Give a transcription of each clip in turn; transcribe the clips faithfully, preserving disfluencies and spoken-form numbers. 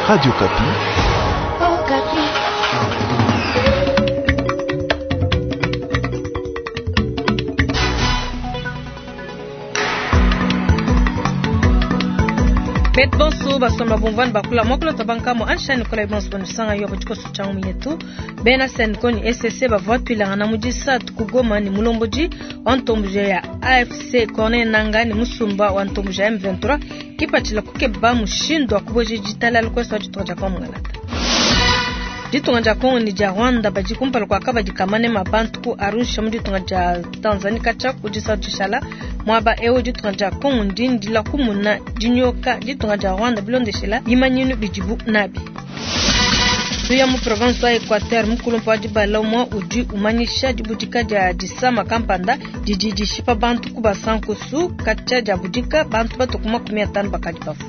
Radio Okapi. Betu bonso basomba bumvua ne bakula muakulu tabankamo ansha Nikolai bonso banusanga yo batshikoso tshia yetu bena Senco ni S C bavua tuilangana mu disatu ku Goma ni mulombodi wa ntomboja ya A F C Corneille Nangaa ni musumba wa ntomboja ya M vingt-trois kipatshila kukeba mushindu wa kuboja ditalala kwesa wa ditunga dia Kongo. Ditunga dia Kongo ni dia Rwanda badi kumpala kua kabadi kamanema bantu ku Arusha mu ditunga dia Tanzania katshia ku disatu dishala muaba eu. Ditunga dia Kongo ndi ndila kumuna dinyoka ditunga dia Rwanda bilondeshela bimanyinu bidibu nabi. Tuya mu province wa Equateur, mukulumpa wa dibala umue udi umanyisha dibudika dia disama kampanda didi dishipa bantu ku basankusu. Katshia dia budika bantu batuku makumi atanu bakadi bafua.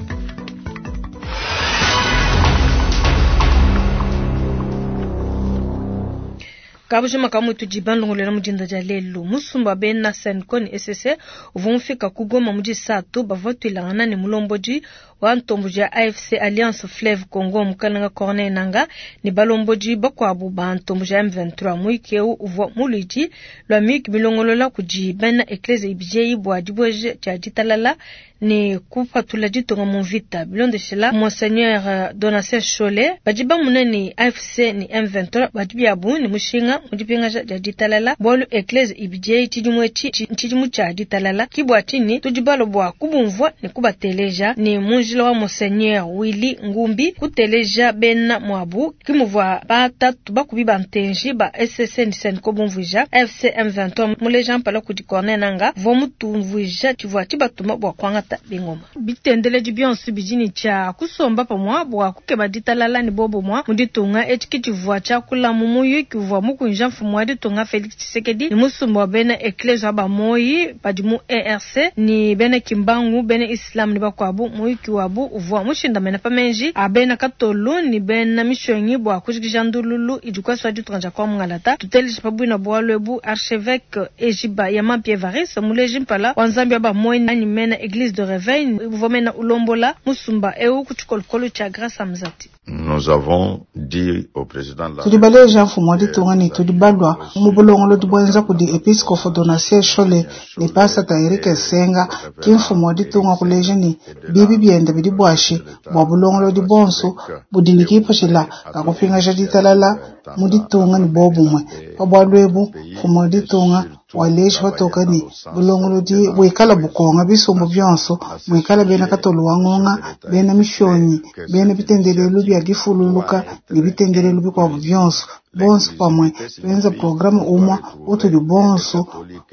Kabujima kamwe tudi bandongolela mudinda dia lelu. Musumba bena Senco ni S C uvua mufika ku Goma mu disatu bavua tuilangana ne mulombodi wa ntomboji ya A F C Alliance Fleuve Congo mukalenga Corneille Nangaa ne balombodi bakuabu ba ntomboji ya M vingt-trois. Muyiki eu uvua muludi lua miyuki milongolola kudi bena eklezia ibidi bua dibueja dia ditalala ne kupatula ditunga mu mvita. Bilondeshela Monseigneur Donatien Nshole, badi bamuna ne A F C ni M vingt-trois badi biabu ne mushinga mu dipingaja dia ditalala bualu eklezia ibidi tshidimu etshi ntshidimu tshia ditalala. Ki bua tshinyi tudi balo bua kubumvua ne kubateleja ne mu njila wa Monseigneur Willy Ngumbi kuteleja bena muabu kimuvua batatu bakubi ba ntenji ba S C ni Senco bumvuija. A F C M vingt-trois muleja mpala kudi Corneille Nangaa vua mutumvuija tshivua tshibatuma bua kuangata bingoma. Bitendeledi bionso bidi ne tshia kusomba pamua bua kukeba ditalala ne bobomua mu ditunga. Etshi kitshivua tshiakula mu muyuki uvua mukunja mfumu wa ditunga Felix Tshisekedi ne musumba wa bena eklezia wa bamoyi badi mu E R C ni bena Kimbangu, bena Islam ne bakuabu. Muyuki wabu uvua mushindamena pa menji a bena Katolu ni bena mishonyi bua kujikija ndululu idi kwesa ditunga dia kwa mungalata. Tuteleje pa bwina bualu ebu archevêque Ejiba Yamampi Evariste muleji mpala wa nzambi wa bamoyi anyi mena église de réveil uvua mena ulombola musumba eu ku tshikolokolo tshia Grâce Amzati. Nous avons dit au président de la Tudi baleja mfumu wa ditunga ne tudi balwa mu bulongolodi bwenza kudi episcopo Donatien Nshole ne pasata Eric Senga. Ki mfumu wa ditunga kuleja ne bibi biende bidi bwashi bwa bulongolodi bonso budi ne kipatshila kakupingaja ditalala mu ditunga ne bobumwe. Pa bwalu ebu mfumu wa ditunga waleji patoka ne bulongolodi bwikala bukonga bisumbu byonso mwikala bena katolu wa ngonga, bena mishonyi, bena bitendelelu bya difululuka ne bitendelelu bikuabu byonso, bonso pamwe benza programu umwa utudi bonso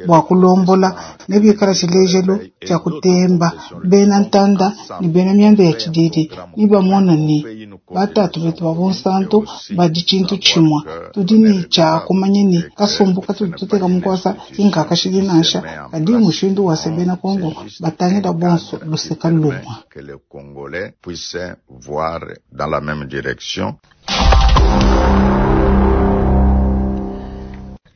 bua kulombola ne bikala tshilejelu tshia kutemba bena ntanda ne bena mianda ya tshididi ni bamona ne batatu betu ba bunsantu badi tshintu tshimwa. Tudi ne tshia kumanya ne kasumbu katudi tuteka mukwasa kinkakashidi nansha kadi mushindu wase bena Kongo batangila bonso luseka lumwa. Que les Congolais puissent voir dans la même direction.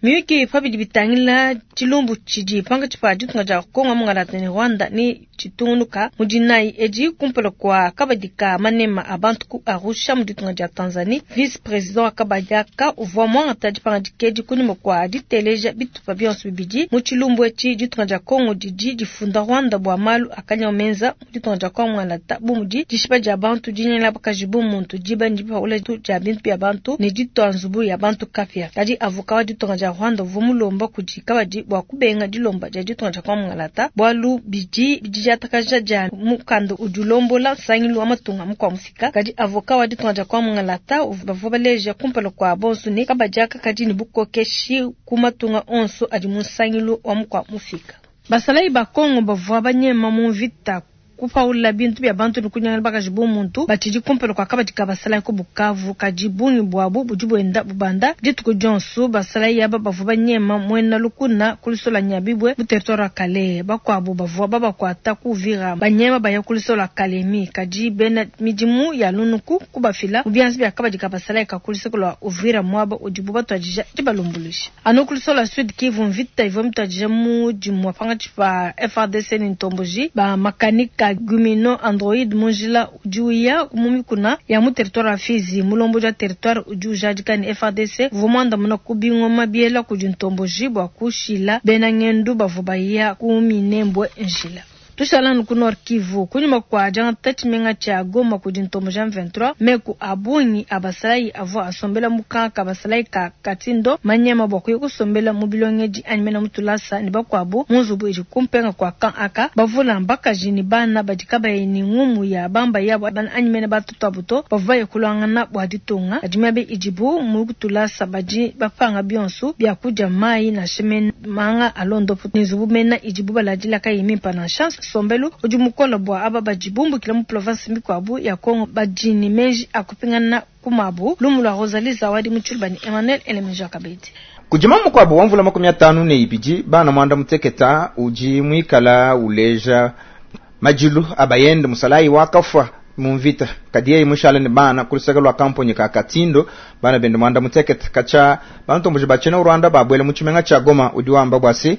Miyuki pa bidi bitangila tshilumbu tshidi pankatshi pa ditunga dia Kongo mungalata ne Rwanda ni tshitungunuka mu dinayi edi kumpala kua kabadi ka manema a bantu ku Arusha mu ditunga dia Tanzanie. Vice président wa kabadi aka uvua muangata dipangadika edi kunyima kua diteleja bitupa bionso bibidi mu tshilumbu etshi. Ditunga dia Kongo didi difunda Rwanda bua malu akanya menza mu ditunga dia Kongo mungalata bu mudi dishipa dia bantu, dinyela bakaji bu muntu, diba ne dipaula dia bintu bia bantu ne ditua nzubu ya bantu kapia. Kadi avocat wa ditunga dia Rwanda uvua mulomba kudi kabadi bua kubenga dilomba dia ditunga dia Kongo mungalata bualu bidi didiatakaja dia mukanda udi ulombola nsangilu wa matunga mukua mufika. Kadi avocat wa ditunga dia Kongo mungalata bavua baleja kumpala kua bonso ne kabadi aka kadi ne bukokeshi ku matunga onso adi mu nsangilu wa mukua mufika. Basalayi ba Kongo bavua banyema mu mvita, kupaula bintu bya bantu ne kunyangala bakaji bu muntu batshidi kumpala kua kabadi ka basalayi ku Bukavu. Kadi bungi buabu budi buenda bubanda dituku dionso. Basalayi aba bavua banyema muena lukuna ku lusola Nyabibwe mu territoire wa Kalehe. Bakuabu bavua babakuata ku Uvira banyema baya ku lusola Kalemi, kadi bena midimu ya lunuku kubafila mu bianza bya kabadi ka basalayi ka ku luseke lua Uvira muaba udibu batuadija dibalumbuluisha. Anu ku lusola Sud Kivu, mvita ivua mituadija mu dimua pankatshi pa F A R D C ne ntomboji ba makanika. ka Gumino Android mu njila udi uya mu mikuna ya mu territoire wa Fizi. Mulombodi wa territoire udi ujadika ne F A D C uvua muandamuna ku bingoma biela kudi ntomboji bua kushila bena ngendu bavua baya ku Minembwe njila. Tushala ku Nord Kivu kunyuma kwa diangata tshimenga tshia Goma kudi ntomboji M vingt-trois meku a bungi a basalayi avua asombela mu kanka basalayi ka Katindo manyema bua kuya kusombela mu bilongedi anyi mena mu tulasa ne bakuabu mu nzubu idi kumpenga kwa kan aka bavula mbakaji ne bana badi kabayi ne ngumu ya bamba yabo anyi mena batoto abo to bavua baye kulwangana bua ditunga adi miabe idibu mu tulasa badi bapanga bionso bia kudia mayi na shemena manga alondopo ne nzubu mena idibu baladila kayi mimpa na chance sombelu udi mukola bua aba badi bumbukila mu province mikuabu ya Kongo badi ne meji akupingana kumabu lumu lwa Rosalie Zawadi Mutshilubani Emmanuel Elemeja Kabedi. Kujima mukwabu wa mvula makumi atanu ne ibidi bana mwanda muteketa uji mwikala uleja majilu abayende musalayi wakafa mumvita kadiye mushala ne bana kulusaka lwa kampuni ka Katindo bana bende mwanda muteketa kacha bantu muje bachena Rwanda babwele mu chimenga cha Goma udi wamba bwasi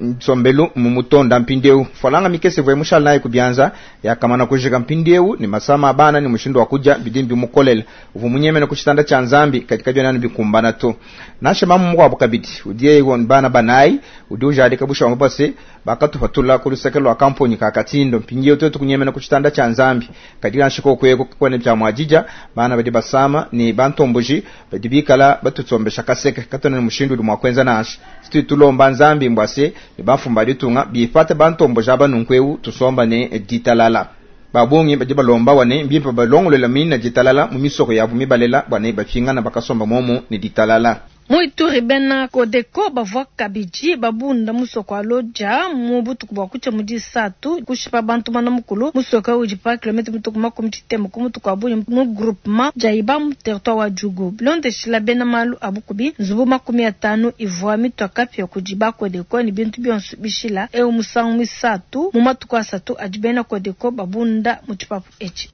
nsombelu mu mutonda mpindeu falanga mikese vwe mushala naye kubyanza yakamana kujika mpindeu ni masama bana ni mushindo wa kuja bidimbi mukolela uvu munyemena kuchitanda cha Nzambi katika jona bikumbana to nashe mamu mukwa kabidi udiye iwon bana banai udi ujadika busha wambase bakatufatula kulusaka lwa kampuni ka Katindo mpindeu tetu kunyemena kuchitanda cha Nzambi katika nshiko kweko kwene bya mwajija bana badi basama ni bantomboji badi bikala batutsombesha kaseke katona ni mushindu uli mwakwenza nashe situ tulomba Nzambi mbwase ni bafumba ditunga bifate bantomboja banunkwewu tusomba ne ditalala babungi badi balomba wane mbimpa balongolela mina ditalala mu misoko yabu mibalela bwane bafingana bakasomba momo ni ditalala. Muituri bena Kodeko bavua kabidi babunda musoko aloja mu butuku bua kucha mu disatu kushipa bantu bana mukulu musoko udi pa kilomètre mutuku makumi tshitema ku mutuku abu mu groupement jaiba mu territoire wa Djugu bilondeshila bena malu abukubi nzubu makumi atanu ivua mitwa kapya kudi ba Kodeko ni bintu bionso bishila eu musangu misatu mu matuku asatu adi bena Kodeko babunda mu tshipapu etshi.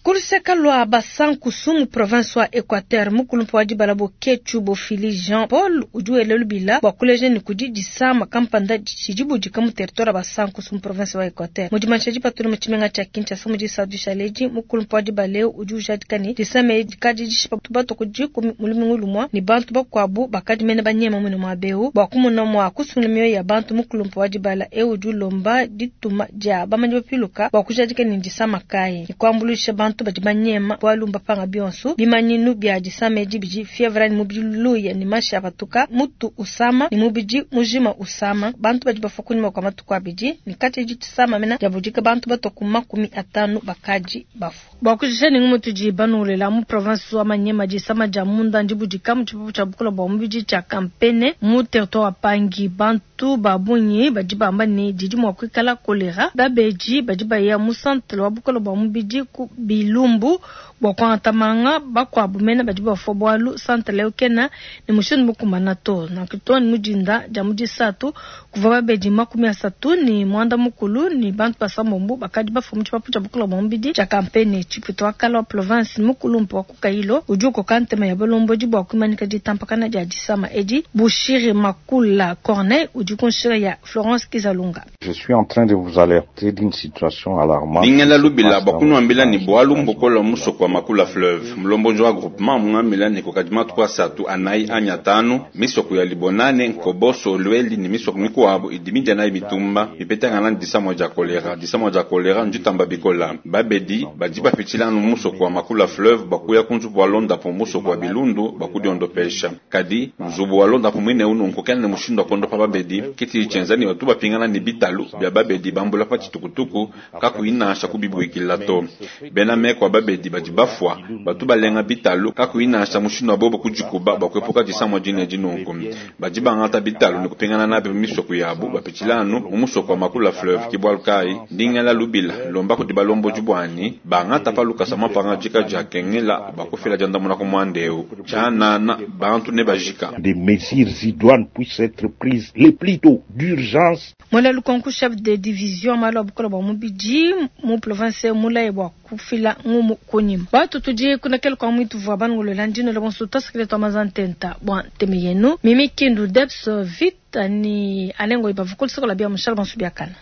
Kuluseka lwa Basankusu mu province wa Equateur mukulumpu wa dibala Boketshu Bofili Jean Paul udi wela lubila bua kuleja ne kudi disama kampanda tshidi budika mu territoire wa Basankusu mu province wa Equateur. Mu dimansha dipatula mu tshimenga tshia Kinshasa mu disatu dishaledi mukulumpu wa dibala eu udi ujadika ne disama edi dikadi dishipa bato kudi mu lumingu lumua ne bantu bakuabu bakadi mene banyema muine muaba eu bua kumona mua kusungula mioyo ya bantu. Mukulumpu wa dibala eu udi ulomba dituma dia bamanyi bapiluka bua kujadika ne disama kayi ne kuambuluisha bantu badi banyema bwalumba panga bionso bimanyinu bya disamedi bidi fievre ni mubidi luya ni mashi apatuka mutu usama ni mubidi mujima usama bantu badi bafa kunyuma kwa matuku abidi ni kati di tsama mena jabudika bantu batoku makumi atanu bakaji bafu bwa kujisha ni ngumutu ji banulela mu province wa Manyema disama ja munda ndibudika mu tshipupu tsha bukola bwa mubidi tsha kampene mu territoire wa Pangi bantu babunyi badi bamba ni didi mwa kuikala kolera babeji badi baya mu centre wa bukola bwa mubidi ku bilumbu bwa kuantamanga bakwabu mena badi bafua bwalu centre leo kena ni mushindu mukumana to na kitoni mujinda ja mujisatu kuva babeji makumi asatu ni mwanda mukulu ni bantu basambombo bakadi bafua mu tshipapu tsha bukola bwa mubidi tsha kampene tshiputo wa kala wa province mukulumpu wa kukailo ujuko kantema ya balombodi bwa kuimanika ditampakana dia disama edi Bushiri Makula Corneille udi kunshira ya Florence Kizalunga. Je suis en train de vous alerter d'une situation alarmante. Ningela lubila bakunuambila ni bwalu mbokola musoko wa Makula fleuve mlombojo wa groupement mungambila ni kokadima tukwa satu anai anya tanu misoko ya Libonane Nkoboso Lweli ni misoko mikuabo idimija na mitumba ipetanga na disamo ja kolera disamo ja kolera njitamba bikola babedi badi bapitila no musoko wa Makula fleuve bakuya kunzu wa londa po musoko wa Bilundu bakudiondopesha kadi nzubu wa londa po mwine unu nkokana ne mushindo kondo pa babedi kiti chenzani watu bapingana ni bitalu bya babedi bambula pa chitukutuku kakuinasha kubibuikila to bena mekwa babedi badi bafwa batu balenga bitalu kakuinasha mushindo bobo kujikuba bakwepoka disamo jine jinunku badi bangata bitalu ni kupingana nabe misoko yabu bapitilano mu musoko wa Makula fleuve kibwalukai ndingela lubila lomba kuti balombo jubwani bangata paluka sama panga jika jakengela bakufila jandamuna kumwandeu chanana bantu ne bajika. Des mesures idoines puissent être prises les plus tôt d'urgence. Mola Lukonku chef de division malo bukola bwa mubidi mu province mulaye bwa kufila bashila ngumu kunyima. Batu tudi kunakela kwa mwitu vwa banungolola ndino la bonso tasakile twa mazantenta bwa nteme yenu. Mimi Kindu Debs Vita ni alengo ibavu kulisokola bia mushala bonso biakana.